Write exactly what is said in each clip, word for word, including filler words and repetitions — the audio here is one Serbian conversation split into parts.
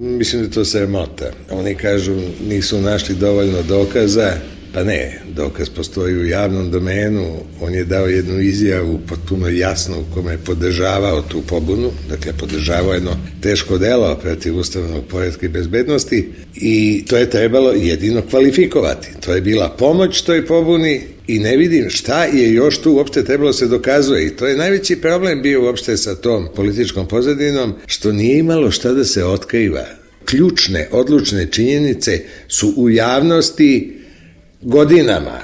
Mislim da to sramota. Oni kažu nisu našli dovoljno dokaza. Pa ne, dokaz postoji u javnom domenu, on je dao jednu izjavu potpuno jasnu u kome je podržavao tu pobunu, dakle podržavao jedno teško delo protiv ustavnog poretka i bezbednosti i to je trebalo jedino kvalifikovati. To je bila pomoć toj pobuni i ne vidim šta je još tu uopšte trebalo se dokazuje i to je najveći problem bio uopšte sa tom političkom pozadinom, što nije imalo šta da se otkriva. Ključne, odlučne činjenice su u javnosti godinama,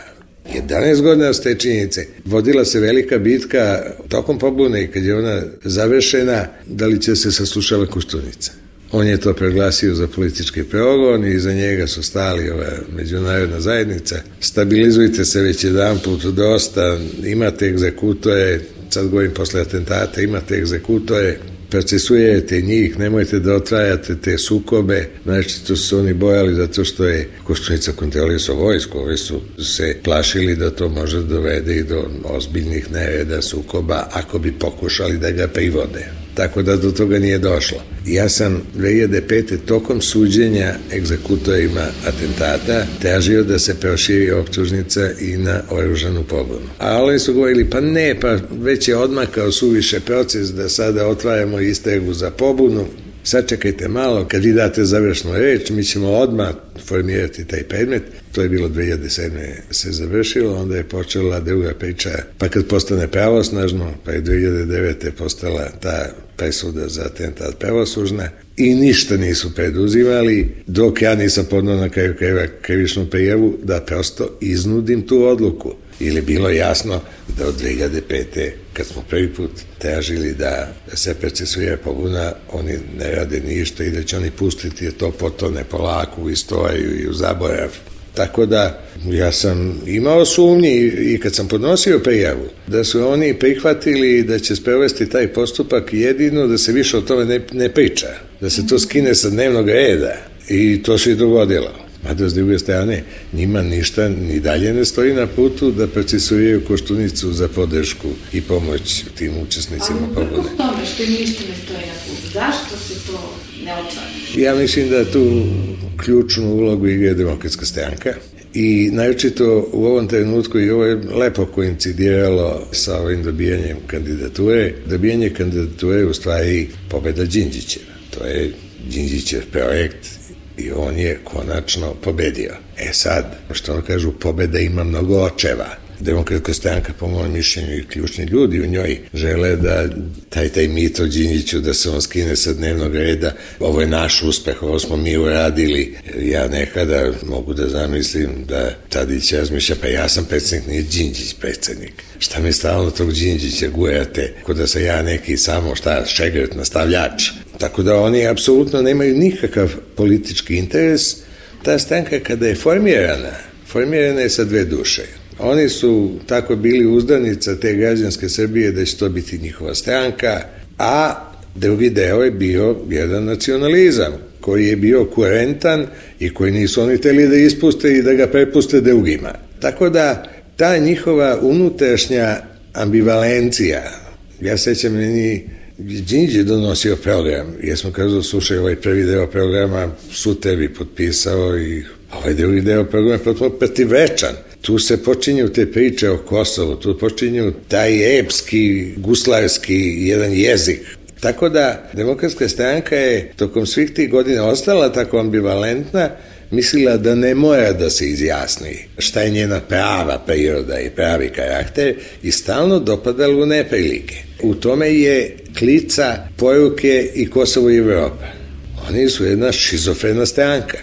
jedanaest godina s te činjenice, vodila se velika bitka tokom pobune i kad je ona završena, da li će se saslušava Koštunica. On je to proglasio za politički progon i iza njega su stali ova međunarodna zajednica. Stabilizujte se već jedan put dosta, imate egzekutore, sad govorim posle atentata, imate egzekutore, procesujete njih, nemojte da otvarate te sukobe, znači to su oni bojali zato što je Koštunica kontrolisao vojsku, ovi su se plašili da to može dovede i do ozbiljnih nereda, sukoba, ako bi pokušali da ga privode. Tako da do toga nije došlo. Ja sam dve hiljade pete tokom suđenja egzekutorima atentata tražio da se proširi optužnica i na oružanu pobunu. A oni su govorili, pa ne, pa već je odmakao suviše proces da sada otvaramo istragu za pobunu. Sad čekajte malo, kad vi date završnu reč, mi ćemo odmah formirati taj predmet. To je bilo dve hiljade sedme se završilo, onda je počela druga priča, pa kad postane pravosnažno, pa je dve hiljade devete postala ta presuda za atentat pravosnažna i ništa nisu preduzimali, dok ja nisam podneo na kraju krajeva krivičnu prijavu da prosto iznudim tu odluku. Ili bilo jasno da od dve hiljade pete kad smo prvi put tražili da se procesuira pobuna, oni ne rade ništa i da će oni pustiti to potone polako u istoriju i u zaborav. Tako da ja sam imao sumnji i kad sam podnosio prijavu da su oni prihvatili da će sprovesti taj postupak jedino da se više o tome ne, ne priča, da se to skine sa dnevnog reda i to se i dogodilo. Mada s druge strane njima ništa ni dalje ne stoji na putu da procesuiraju Koštunicu za podršku i pomoć tim učesnicima pobune. Ali upravo tome što ništa ne stoji na putu, zašto se to ne otvara? Ja mislim da tu ključnu ulogu igra Demokratska stranka i naročito u ovom trenutku i ovo je lepo koincidiralo sa ovim dobijanjem kandidature. Dobijanje kandidature je u stvari pobeda Đinđićeva. To je Đinđićev projekt i on je konačno pobedio. E sad, što ono kažu, pobeda ima mnogo očeva. Demokratska stranka, po mojom mišljenju i ključni ljudi u njoj, žele da taj, taj mit o Đinđiću, da se on skine sa dnevnog reda. Ovo je naš uspeh, ovo smo mi uradili. Ja nekada mogu da zamislim da Tadić razmišlja, pa ja sam predsednik, nije Đinđić predsednik. Šta mi stalno tog Đinđića gujate, ko da sam ja neki samo šta, šegrt, nastavljač. Tako da oni apsolutno nemaju nikakav politički interes. Ta stranka kada je formirana, formirana je sa dve duše. Oni su tako bili uzdanica te građanske Srbije da će to biti njihova stranka, a drugi deo je bio jedan nacionalizam koji je bio kurentan i koji nisu oni hteli da ispuste i da ga prepuste drugima. Tako da ta njihova unutrašnja ambivalencija, ja sećam meni Đinđić donosio program, jer smo kazali, slušaj, ovaj prvi deo programa su tebi potpisao i ovaj drugi deo programa je potpuno protivečan. Tu se počinju te priče o Kosovu, tu počinju taj epski, guslarski jedan jezik. Tako da Demokratska stranka je tokom svih tih godina ostala tako ambivalentna, mislila da ne mora da se izjasni šta je njena prava priroda i pravi karakter i stalno dopadala u neprilike. U tome je klica poruke i Kosovo i Evropa. Oni su jedna šizofrena stranka.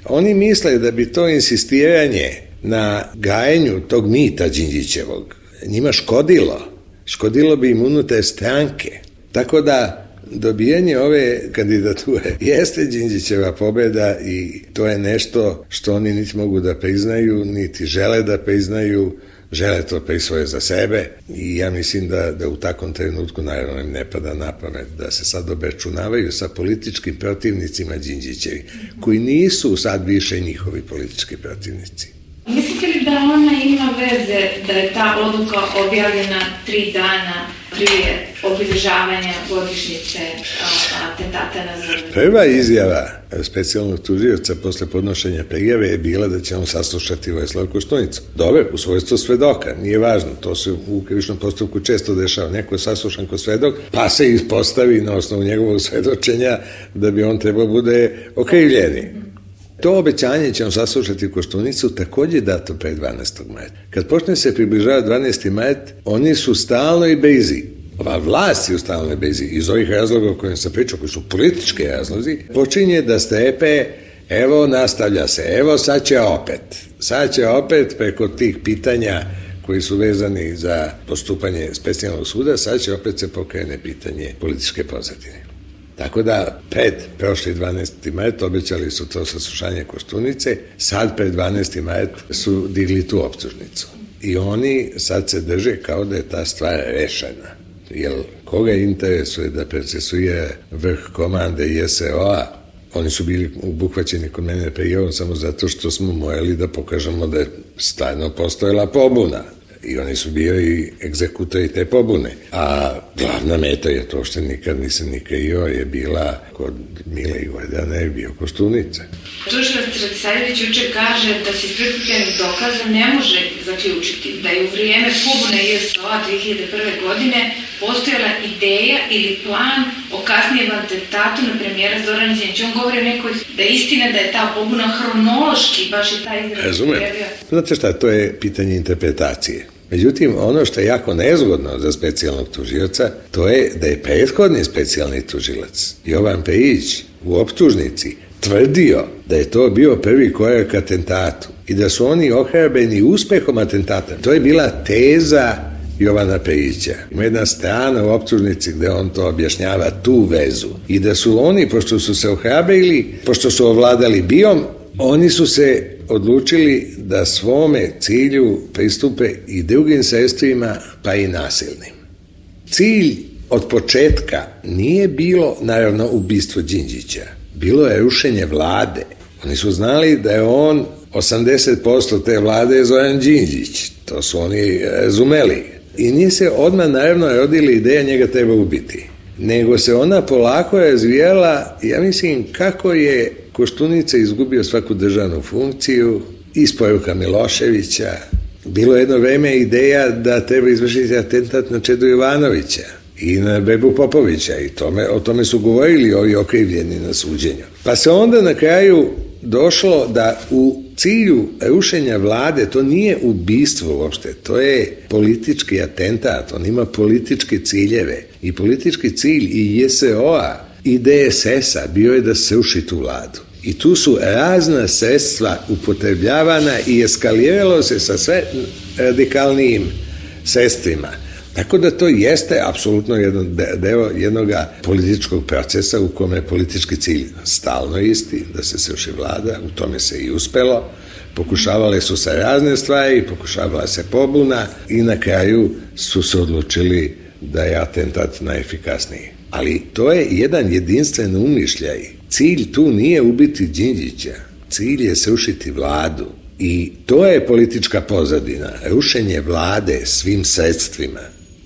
Oni misle da bi to insistiranje na gajenju tog mita Đinđićevog njima škodilo. Škodilo bi im unutar stranke. Tako da dobijanje ove kandidature jeste Đinđićeva pobeda i to je nešto što oni niti mogu da priznaju, niti žele da priznaju, žele to prisvoje za sebe i ja mislim da, da u takvom trenutku naravno im ne pada na pamet da se sad obračunavaju sa političkim protivnicima Đinđićevi, koji nisu sad više njihovi politički protivnici. Mislite li da ona ima veze da je ta odluka objavljena tri dana prije obilježavanja godišnjice atentata na Zrnu? Prva izjava specijalnog tužioca posle podnošenja prijave je bila da će on saslušati Vojislava Koštunicu. Dobar, u svojstvu svedoka, nije važno, to se u krivičnom postupku često dešava. Neko je saslušan ko svedok, pa se ispostavi na osnovu njegovog svedočenja da bi on trebao bude okrivljeni. To obećanje će on saslušati Koštunicu takođe dato pre dvanaestog maja. Kad počne se približava dvanaesti maj, oni su stalno i bezi. Ova vlast je u stalnoj bezi. Iz ovih razloga o kojim sam pričao, koji su politički razlozi, počinje da strepe, evo nastavlja se, evo sad će opet. Sad će opet preko tih pitanja koji su vezani za postupanje specijalnog suda, sad će opet se pokrene pitanje političke pozadine. Tako da, pred prošli dvanaesti maj obećali su to saslušanje Koštunice, sad pred dvanaesti maj su digli tu optužnicu. I oni sad se drže kao da je ta stvar rešena. Jer koga interesuje da procesuira vrh komande I S O-a, oni su bili obuhvaćeni kod mene prijavom samo zato što smo morali da pokažemo da je stvarno postojala pobuna. I oni su bili egzekutori te pobune. A glavna meta je to što nikad nisam ni krio, je bila kod Mile i Gordana je bio Koštunica. Tužilac Radisavljević juče kaže da se iz prikupljenih dokaza ne može zaključiti da je u vrijeme pobune I S O-a dve hiljade prve. godine postojala ideja ili plan o kasnijem atentatu na premijera Zorana Đinđića. On govori o nekoj da je istina da je ta pobuna hronološki baš i taj izraz. Razumem. Znate šta, to je pitanje interpretacije. Međutim, ono što je jako nezgodno za specijalnog tužioca, to je da je prethodni specijalni tužilac Jovan Pejić u optužnici tvrdio da je to bio prvi korak atentatu i da su oni ohrabreni uspehom atentata. To je bila teza Jovana Pejića. Ima jedna strana u optužnici gde on to objašnjava, tu vezu. I da su oni, pošto su se ohrabrili, pošto su ovladali bijom, oni su se odlučili da svome cilju pristupe i drugim sredstvima, pa i nasilnim. Cilj od početka nije bilo, naravno, ubistvo Đinđića. Bilo je rušenje vlade. Oni su znali da je on, osamdeset posto te vlade je Zoran Đinđić. To su oni razumeli. I nije se odmah, naravno, rodila ideja njega treba ubiti. Nego se ona polako razvijala, ja mislim, kako je Koštunica izgubio svaku državnu funkciju, isporuka Miloševića. Bilo je jedno vreme ideja da treba izvršiti atentat na Čedu Jovanovića i na Bebu Popovića i tome, o tome su govorili ovi okrivljeni na suđenju. Pa se onda na kraju došlo da u cilju rušenja vlade, to nije ubistvo uopšte, to je politički atentat, on ima političke ciljeve i politički cilj i J S O-a i D S S-a bio je da se ruši tu vladu. I tu su razna sredstva upotrebljavana i eskaliralo se sa sve radikalnijim sredstvima. Tako da to jeste apsolutno jedan deo jednog političkog procesa u kome je politički cilj stalno isti, da se sruši vlada, u tome se i uspelo. Pokušavale su se razne stvari, pokušavala se pobuna i na kraju su se odlučili da je atentat najefikasniji. Ali to je jedan jedinstven umišljaj. Cilj tu nije ubiti Đinđića, cilj je srušiti vladu. I to je politička pozadina, rušenje vlade svim sredstvima.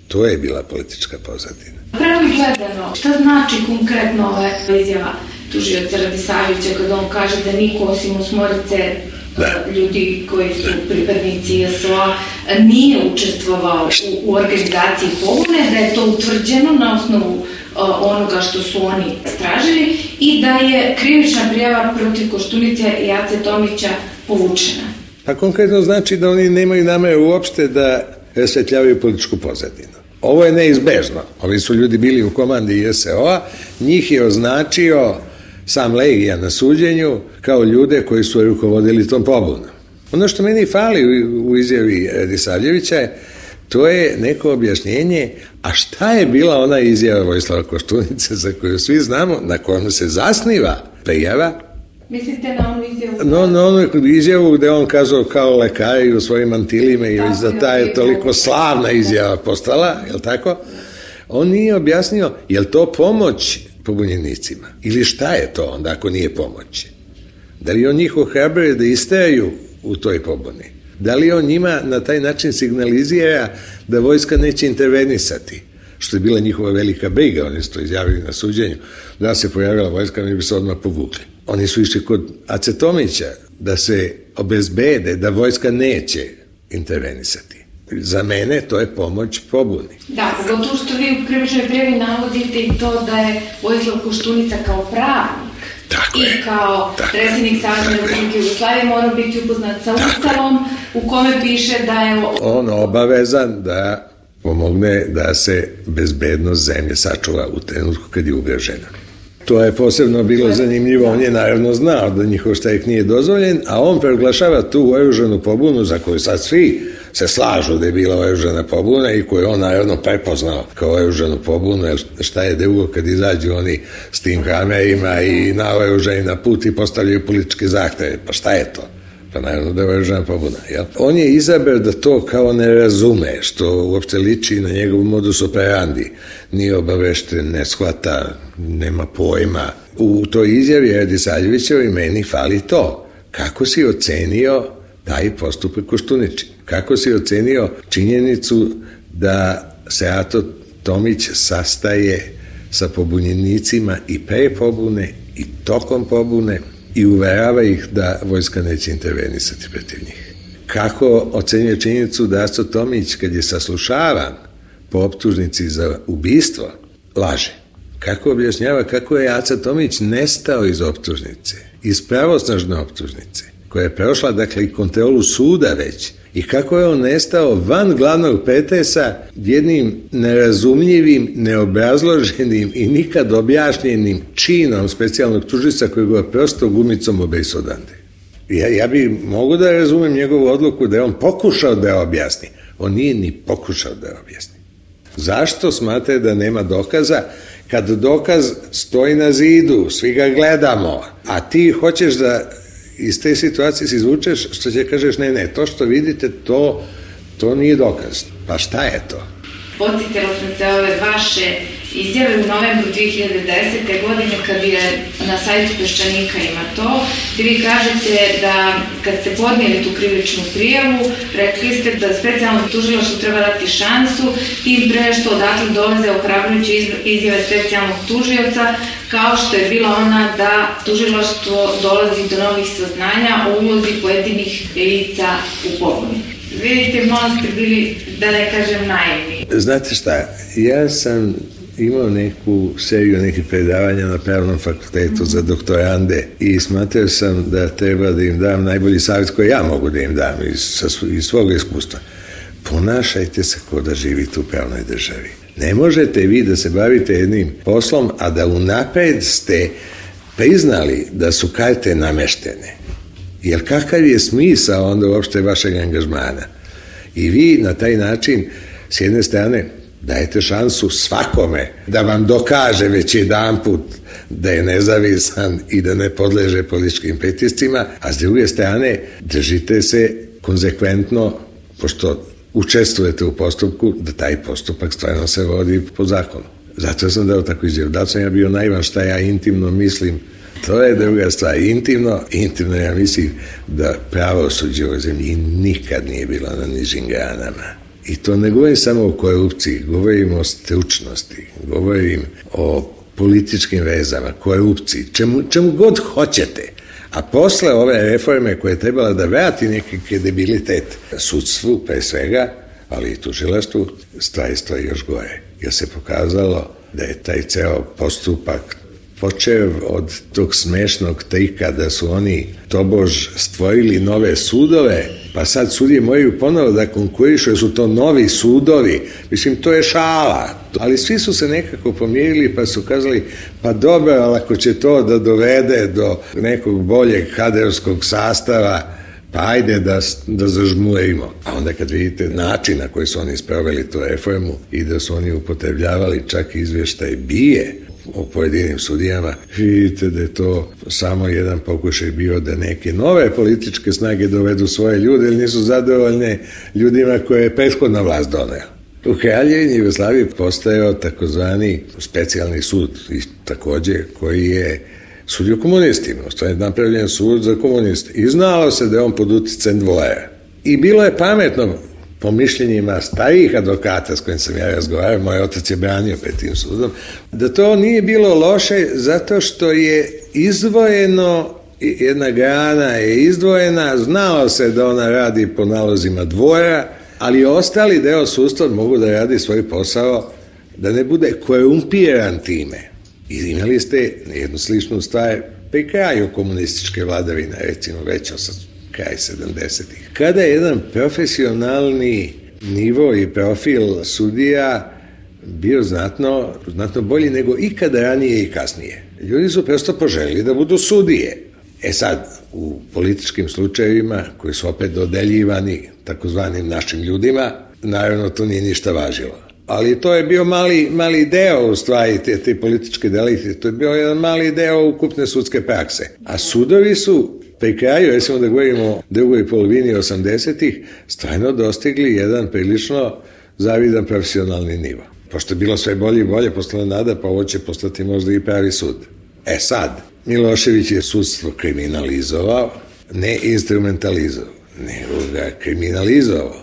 To je bila politička pozadina. Pravno gledano, šta znači konkretno ova izjava tužioca Radisavljevića kada on kaže da niko osim osmorice da. ljudi koji su pripadnici I S O-a nije učestvovao u, u organizaciji pobune, da je to utvrđeno na osnovu onoga što su oni istražili i da je krivična prijava protiv Koštunice i Ace Tomića povučena. Pa konkretno znači da oni nemaju nameru uopšte da rasvetljavaju političku pozadinu. Ovo je neizbežno. Ovi su ljudi bili u komandi I S O-a, njih je označio sam Legija na suđenju kao ljude koji su rukovodili tom pobunom. Ono što meni fali u izjavi Radisavljevića je to je neko objašnjenje, a šta je bila ona izjava Vojislava Koštunice za koju svi znamo, na kojom se zasniva prijava? Mislite na onu izjavu? No, na onu izjavu gde on kazao kao lekari u svojim mantilima i već da ta je toliko slavna izjava postala, je li tako? On nije objasnio, je li to pomoć pobunjenicima? Ili šta je to onda ako nije pomoć? Da li on njih ohrabruje da istraju u toj pobuni? Da li on njima na taj način signalizira da vojska neće intervenisati? što je bila njihova velika briga, oni su to izjavili na suđenju, da se pojavila vojska, mi bi se odmah povukli. Oni su išli kod Acetomića da se obezbede da vojska neće intervenisati. Za mene to je pomoć pobuni. Da, pogotovo što vi u krivičnoj prijavi navodite i to da je Vojislav Koštunica kao pravnik tako i je, kao predsjednik Savezne Republike Jugoslavije mora biti upoznat sa Ustavom u kome piše da je on obavezan da pomogne da se bezbednost zemlje sačuva u trenutku kad je ugrožena. To je posebno bilo zanimljivo, on je naravno znao da njihov štrajk nije dozvoljen, a on proglašava tu oružanu pobunu za koju sad svi se slažu da je bila oružana pobuna i koju on naravno prepoznao kao oružanu pobunu, jer šta je drugo kad izađu oni s tim kamerima i naoružani na put i postavljaju političke zahteve, pa šta je to? Pa naravno da je oružana pobuna, jel? On je izabrao da to kao ne razume, što uopšte liči na njegov modus operandi. Nije obavešten, ne shvata, nema pojma. U toj izjavi Radisavljevićevoj meni fali to. Kako si ocenio taj postupak Koštuničin? Kako si ocenio činjenicu da se Ato Tomić sastaje sa pobunjenicima i pre pobune i tokom pobune i uverava ih da vojska neće intervenisati protiv njih? Kako ocenjuje činjenicu da Ato Tomić, kad je saslušavan po optužnici za ubistvo, laže? Kako objašnjava kako je Aca Tomić nestao iz optužnice, iz pravosnažne optužnice, koja je prošla, dakle, i kontrolu suda već, i kako je on nestao van glavnog pretresa jednim nerazumljivim, neobrazloženim i nikad objašnjenim činom specijalnog tužilaca koji ga prosto gumicom obesu odande. Ja, ja bi mogu da razumem njegovu odluku da je on pokušao da je objasni. On nije ni pokušao da je objasni. Zašto smatra da nema dokaza kad dokaz stoji na zidu, svi ga gledamo, a ti hoćeš da iz te situacije se izvučeš, što će kažeš ne, ne, to što vidite, to, to nije dokaz. Pa šta je to? Podsjetila sam se ove vaše izjave u novembru dve hiljade desete. godine kad je na sajtu Peščanika ima to, gdje vi kažete da kad ste podnijeli tu krivičnu prijavu, rekli ste da specijalno tužilaštvo treba dati šansu, tim pre što odatle dolaze ohrabrujuće izjave specijalnog tužioca, kao što je bila ona da tužilaštvo dolazi do novih saznanja o ulozi pojedinih lica u pobuni. Vidite, malo ste bili, da ne kažem, naivni. Znate šta, ja sam imao neku seriju nekih predavanja na Pravnom fakultetu za doktorande i smatrao sam da treba da im dam najbolji savjet koji ja mogu da im dam iz, iz svog iskustva. Ponašajte se kao da živite u pravnoj državi. Ne možete vi da se bavite jednim poslom, a da unapred ste priznali da su karte nameštene. Jer kakav je smisao onda uopšte vašeg angažmana? I vi na taj način, s jedne strane, dajete šansu svakome da vam dokaže već jedan put da je nezavisan i da ne podleže političkim pritiscima, a s druge strane držite se konzekventno, pošto učestvujete u postupku, da taj postupak stvarno se vodi po zakonu. Zato sam dao tako izjavu. Da sam ja bio naivan šta ja intimno mislim. To je druga stvar. Intimno, intimno ja mislim da pravosuđe u zemlji nikad nije bilo na nižim granama. I to ne govorim samo o korupciji, govorim o stručnosti, govorim o političkim vezama, korupciji, čemu, čemu god hoćete. A posle ove reforme koje je trebala da vrati neki kredibilitet sudstvu, pre svega, ali i tužilaštvu, stvari stoji još gore. Jer se pokazalo da je taj ceo postupak počeo od tog smešnog trika da su oni tobož stvorili nove sudove, pa sad sudije moraju ponovo da konkurišu jer su to novi sudovi. Mislim, to je šala. Ali svi su se nekako pomirili pa su kazali, pa dobro, ali ako će to da dovede do nekog boljeg kadrovskog sastava, pa ajde da, da zažmurimo. A onda kad vidite način na koji su oni sproveli tu reformu i da su oni upotrebljavali čak izvještaj bije o pojedinim sudijama, vidite da je to samo jedan pokušaj bio da neke nove političke snage dovedu svoje ljude ili nisu zadovoljne ljudima koje je prethodna vlast doneo. U Kraljevini Jugoslaviji postojao takozvani specijalni sud i takođe koji je sudio komunistima. To je napravljen sud za komuniste. I znalo se da je on pod uticajem dvojera. I bilo je pametno po mišljenjima starijih advokata s kojim sam ja razgovarao, moj otac je branio pred tim sudom, da to nije bilo loše zato što je izdvojeno, jedna grana je izdvojena, znalo se da ona radi po nalozima dvora, ali ostali deo sudstva mogu da radi svoj posao, da ne bude korumpiran time. I imali ste jednu sličnu stvar pri kraju komunističke vladavine, recimo već od kraj sedamdesetih. Kada je jedan profesionalni nivo i profil sudija bio znatno, znatno bolji nego ikada ranije i kasnije. Ljudi su prosto poželili da budu sudije. E sad, u političkim slučajevima koji su opet dodeljivani takozvanim našim ljudima, naravno to nije ništa važilo. Ali to je bio mali, mali deo u stvari te, te političke delikte, to je bio jedan mali deo ukupne sudske prakse. A sudovi su pri kraju, recimo da govorimo o drugoj polovini osamdesetih, stvarno dostigli jedan prilično zavidan profesionalni nivo. Pošto je bilo sve bolje i bolje, postala nada, pa ovo će postati možda i pravi sud. E sad, Milošević je sudstvo kriminalizovao, ne instrumentalizovao, nego ga kriminalizovao.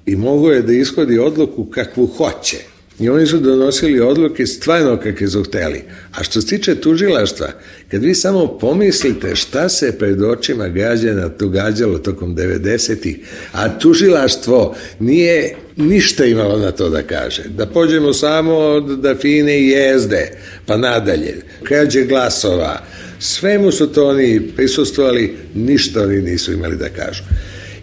I mogo je da ishodi odluku kakvu hoće. I oni su donosili odluke stvarno kakve su hteli. A što se tiče tužilaštva, kad vi samo pomislite šta se pred očima građana događalo tokom devedesetih, a tužilaštvo nije ništa imalo na to da kaže. Da pođemo samo od Dafine i Jezde, pa nadalje. Krađe glasova, svemu su to oni prisustvovali, ništa oni nisu imali da kažu.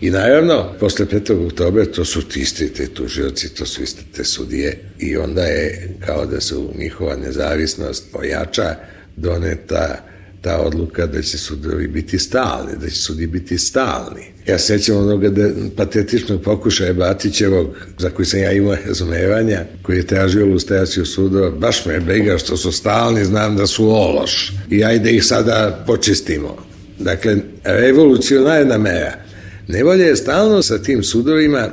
I naravno, posle petog oktobra to su ti isti te tužioci, to su iste te sudije i onda je kao da se u njihova nezavisnost ojača doneta ta odluka da će sudovi biti stalni, da će sudi biti stalni. Ja sećam onoga da, patetičnog pokušaja Batićevog, za koji sam ja imao razumevanja, koji je tražio lustraciju sudova, baš me je briga što su stalni, znam da su ološ i ajde ih sada počistimo. Dakle, revolucionarna mera. Nevolja je stalno sa tim sudovima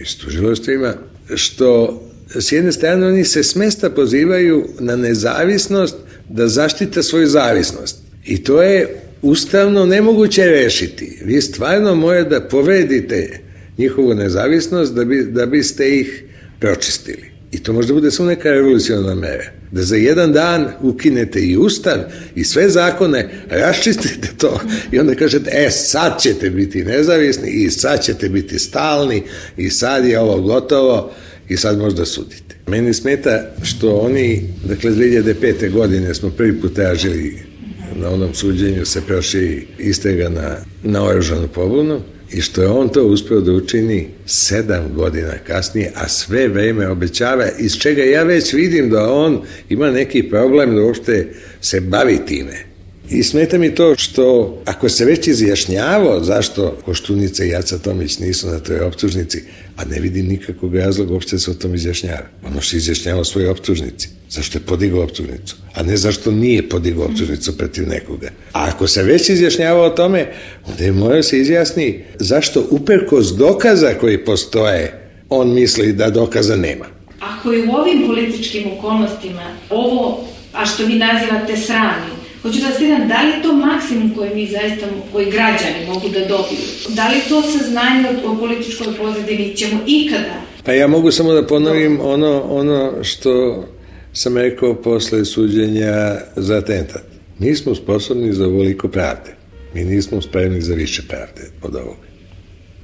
i s tužilaštvima, što s jedne strane oni se s mesta pozivaju na nezavisnost da zaštite svoju zavisnost. I to je ustavno nemoguće rešiti. Vi stvarno morate da povredite njihovu nezavisnost da, bi, da biste ih pročistili. I to možda bude samo neka revolucionarna mera. Da za jedan dan ukinete i ustav i sve zakone, raščistite to i onda kažete, e, sad ćete biti nezavisni i sad ćete biti stalni i sad je ovo gotovo i sad možda sudite. Meni smeta što oni, dakle, dve hiljade pete. godine smo prvi put tražili na onom suđenju se proširi istraga na, na oružanu pobunu i što je on to uspeo da učini sedam godina kasnije, a sve vreme obećava, iz čega ja već vidim da on ima neki problem da uopšte se bavi time. I smeta mi to što, ako se već izjašnjavao zašto Koštunica i Aca Tomić nisu na toj optužnici, a ne vidim nikakvog razloga uopšte se o tom izjašnjava. Ono se izjašnjava svoje optužnici. Zašto je podigao optužnicu, a ne zašto nije podigao optužnicu protiv nekoga. A ako se već izjašnjava o tome, onda je morao se izjasni zašto uprkos dokaza koji postoje, on misli da dokaza nema. Ako je u ovim političkim okolnostima ovo, a što vi nazivate sramnim, hoću da vas pitam, da li je to maksimum koji mi zaista, koji građani mogu da dobiju? Da li to saznanje o političkoj pozadini ćemo ikada? Pa ja mogu samo da ponovim ono, ono što sam rekao posle suđenja za atentat. Nismo sposobni za ovoliko pravde. Mi nismo spremni za više pravde od ovoga.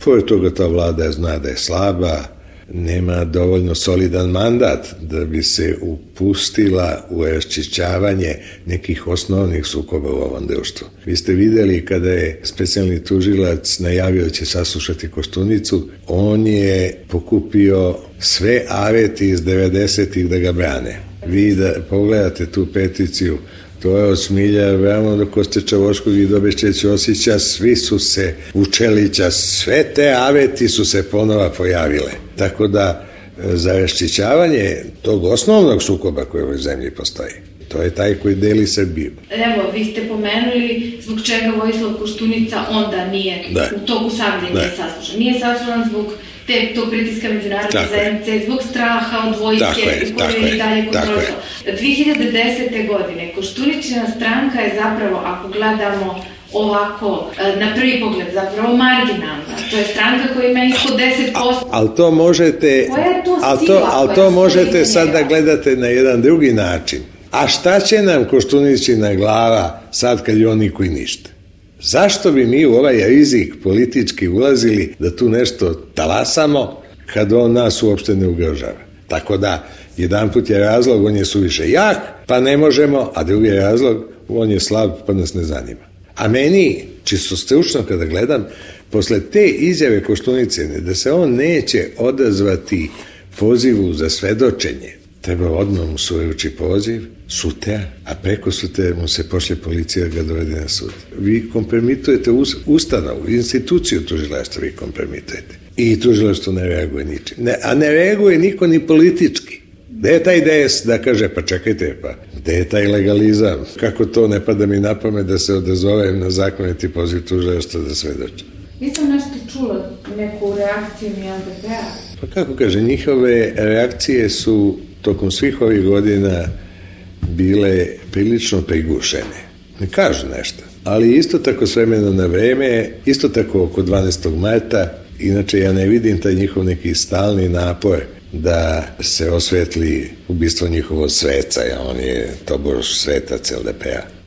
Pored toga ta vlada zna da je slaba, nema dovoljno solidan mandat da bi se upustila u raščišćavanje nekih osnovnih sukoba u ovom društvu. Vi ste videli kada je specijalni tužilac najavio da će saslušati Koštunicu, on je pokupio sve aveti iz devedesetih da ga brane. Vi da pogledate tu peticiju, to je od Smilja Abrahamova do Koste Čavoškog i do Bešće Ćosića, svi su se, Vučelića, sve te aveti su se ponova pojavile. Tako da, za raščišćavanje tog osnovnog sukoba koji u ovoj zemlji postoji, to je taj koji deli Srbiju. Evo, vi ste pomenuli zbog čega Vojislav Koštunica onda nije da. u toku savljenja saslušan. Nije saslušan zbog te, to pritiska međunarodne zajednice zbog straha od vojske i koje je i dalje kontrolisao. dve hiljade desete. godine Koštuničina stranka je zapravo, ako gledamo ovako, na prvi pogled, zapravo marginalna. To je stranka koja ima ispod deset posto. Ali to možete, koja je to ali sila to, ali to možete sad da gledate na jedan drugi način. A šta će nam Koštuničina glava sad kad je on niko i ništa? Zašto bi mi u ovaj rizik politički ulazili da tu nešto talasamo kad on nas uopšte ne ugrožava? Tako da, jedan put je razlog, on je suviše jak, pa ne možemo, a drugi razlog, on je slab, pa nas ne zanima. A meni, čisto stručno kada gledam, posle te izjave Koštunicine, da se on neće odazvati pozivu za svedočenje, treba odmah mu se uruči poziv, sutra, a preko sutra mu se pošle policija da ga dovede na sud. Vi kompromitujete ustanovu, instituciju tužilaštva vi kompromitujete. I tužilaštvo ne reaguje ničim. Ne, a ne reaguje niko ni politički. Gde je taj D S da kaže, pa čekajte, pa gde je taj legalizam? Kako to ne pada mi na pamet da se odazovem na zakoniti poziv tužilaštva da svedočim? Nisam nešto čula, neku reakciju ni L D P-a. Pa kako kaže, njihove reakcije su tokom svih ovih godina bile prilično prigušene. Ne kažu nešto. Ali isto tako s vremena na vreme, isto tako oko dvanaestog marta, inače ja ne vidim taj njihov neki stalni napor da se osvetli ubistvo njihovog sveca, ja on je tobož svetac L D P-a.